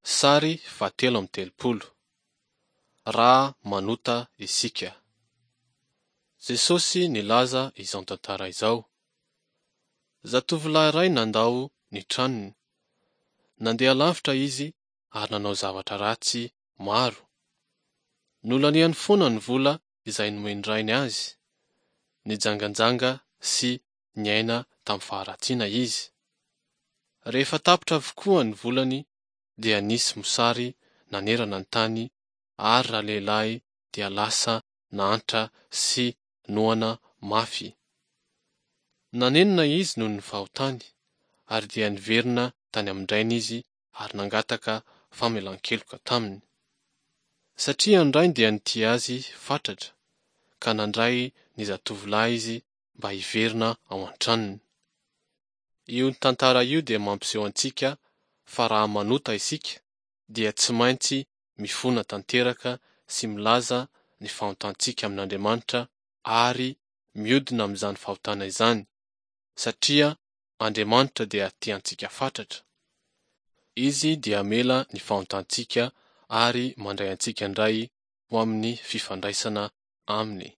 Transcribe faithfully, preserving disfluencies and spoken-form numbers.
Sary fahatelo amby telopolo. Raha manota isika. Jesosy nilaza izao tantara izao. Zatovolahy iray nandao ny tranony. Nandeha lavitra izy ary nanao zavatra ratsy maro. Nolaniany foana ny vola izay nomen'ny rainy azy. Nijanganjanga sy niaina tamin'ny faharatsiana izy. Rehefa tapitra avokoa ny volany dia nisy mosary nanerana ny tany ary ralehilahy dia lasa nahantra sy noana mafy. Nanenina izy noho ny fahotany ary dia niverina tany amin-drainy izy ary nangataka famelan-keloka taminy. Satria ny rainy dia nitia azy fatratra ka nandray ny zatovolahy izy mba hiverina ao an-tranony. Io tantara io dia mampiseho antsika fa raha manota isika dia tsy maintsy mifona tanteraka sy milaza ny fahotantsika amin'Andriamanitra ary miodina amin'izany fahotana izany, satria Andriamanitra dia tia antsika fatratra. Izy dia hamela ny fahotantsika ary mandray antsika indray ho amin'ny fifandraisana aminy.